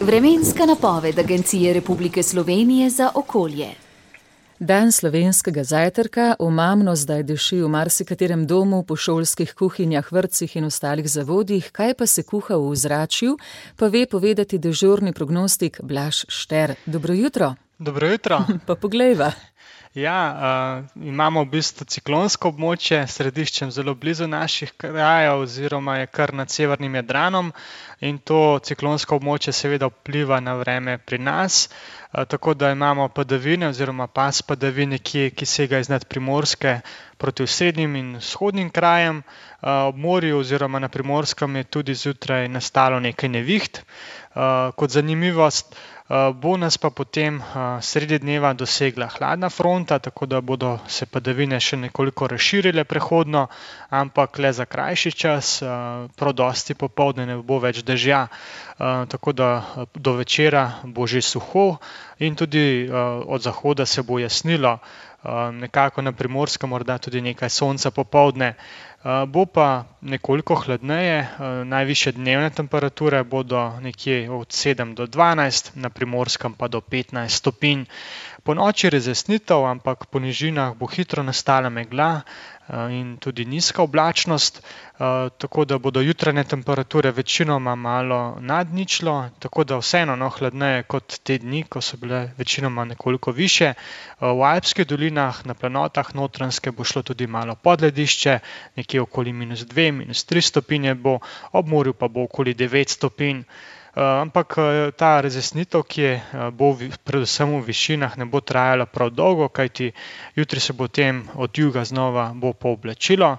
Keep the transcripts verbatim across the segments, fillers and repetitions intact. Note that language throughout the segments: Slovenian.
Vremenska napoved Agencije Republike Slovenije za okolje. Dan slovenskega zajtrka, omamno zdaj diši v marsikaterem domu, po šolskih kuhinjah, vrtcih in ostalih zavodih. Kaj pa se kuha v ozračju, pa ve povedati dežurni prognostik Blaž Šter. Dobro jutro. Dobro jutro. Pa poglejva. Ja, uh, imamo v bistvu ciklonsko območje, središčem zelo blizu naših krajev oziroma je kar nad severnim Jadranom in to ciklonsko območje seveda vpliva na vreme pri nas, uh, tako da imamo padavine oziroma pas padavin nekje, ki sega iznad Primorske proti osrednjim in vzhodnim krajem. Uh, ob morju oziroma na Primorskem je tudi zjutraj nastalo nekaj neviht. Uh, kot zanimivost, Uh, bo nas pa potem uh, sredi dneva dosegla hladna fronta, tako da bodo se padavine še nekoliko razširile prehodno, ampak le za krajši čas, uh, prav dosti popoldne ne bo več dežja, uh, tako da do večera bo že suho in tudi uh, od zahoda se bo jasnilo, uh, nekako na Primorskem morda tudi nekaj sonca popoldne. Uh, bo pa nekoliko hladneje, uh, najvišje dnevne temperature bodo nekje od sedem do dvanajst, na Primorskem pa do petnajst stopinj. Po noči razjasnitev, ampak po nižinah bo hitro nastala megla uh, in tudi nizka oblačnost, uh, tako da bodo jutranje temperature večinoma malo nad ničlo, tako da vseeno no, hladneje kot te dni, ko so bile večinoma nekoliko više. Uh, v Alpskih dolinah, na planotah Notranjske bo šlo tudi malo pod ledišče, nekje okoli minus dve, minus tri stopinje bo, ob morju pa bo okoli devet stopinj. Uh, ampak uh, ta razjasnitev, ki je, uh, bo v, predvsem v višinah, ne bo trajala prav dolgo, kajti jutri se potem od juga znova bo pooblačilo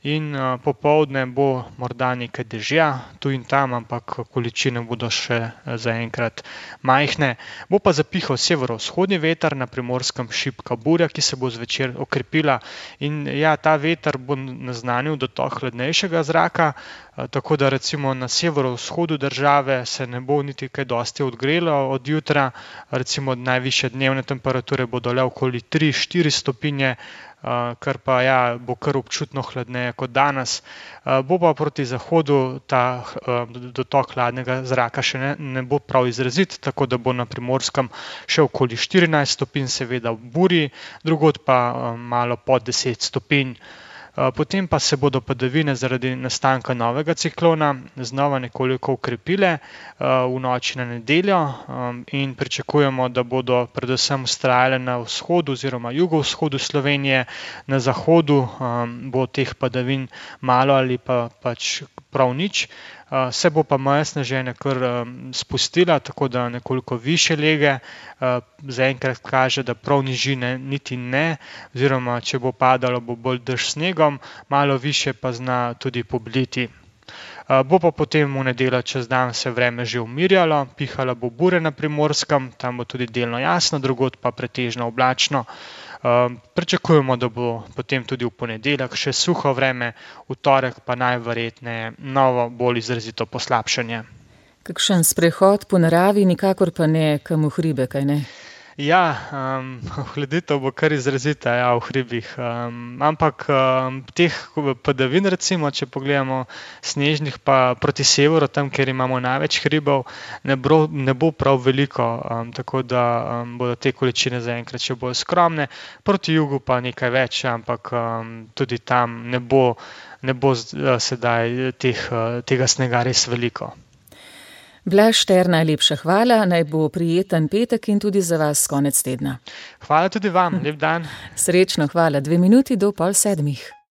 in uh, popoldne bo morda nekaj dežja, tu in tam, ampak količine bodo še uh, zaenkrat majhne. Bo pa zapihal severovzhodni veter, na Primorskem šibka burja, ki se bo zvečer okrepila in ja, ta veter bo naznanil dotok hladnejšega zraka, uh, tako da recimo na severovzhodu države se ne bo niti kaj dosti odgrelo od jutra, recimo najvišje dnevne temperature bodo le okoli tri do štiri stopinje, Uh, kar pa ja, bo kar občutno hladneje kot danes. Uh, bo pa proti zahodu ta uh, dotok hladnega zraka še ne, ne bo prav izrazit, tako da bo na Primorskem še okoli štirinajst stopinj, seveda v burji, drugod pa uh, malo pod deset stopinj. Potem pa se bodo padavine zaradi nastanka novega ciklona znova nekoliko ukrepile v noči na nedeljo in pričakujemo, da bodo predvsem vztrajale na vzhodu oziroma jugovzhodu Slovenije, na zahodu bo teh padavin malo ali pa pač prav nič. Se bo pa meja sneženja kar spustila, tako da nekoliko više lege, zaenkrat kaže, da prav nižine niti ne, oziroma če bo padalo, bo bolj dež snegom, malo više pa zna tudi pobliti. Bo pa potem v nedeljo čez dan se vreme že umirjalo, pihala bo burja na Primorskem, tam bo tudi delno jasno, drugod pa pretežno oblačno. Pričakujemo, da bo potem tudi v ponedeljek še suho vreme, v torek pa najverjetneje novo bolj izrazito poslabšanje. Kakšen sprehod po naravi, nikakor pa ne kam v hribe, kaj ne? Ja, um, hladitev bo kar izrazita, ja, v hribih, um, ampak um, teh padavin recimo, če pogledamo snežnih pa proti severu, tam, kjer imamo največ hribov, ne bo, ne bo prav veliko, um, tako da um, bodo te količine zaenkrat še bolj skromne, proti jugu pa nekaj več, ampak um, tudi tam ne bo, ne bo uh, sedaj teh, uh, tega snega res veliko. Blaž Šter, najlepša hvala, naj bo prijeten petek in tudi za vas konec tedna. Hvala tudi vam, lep dan. Srečno, hvala, dve minuti do pol sedmih.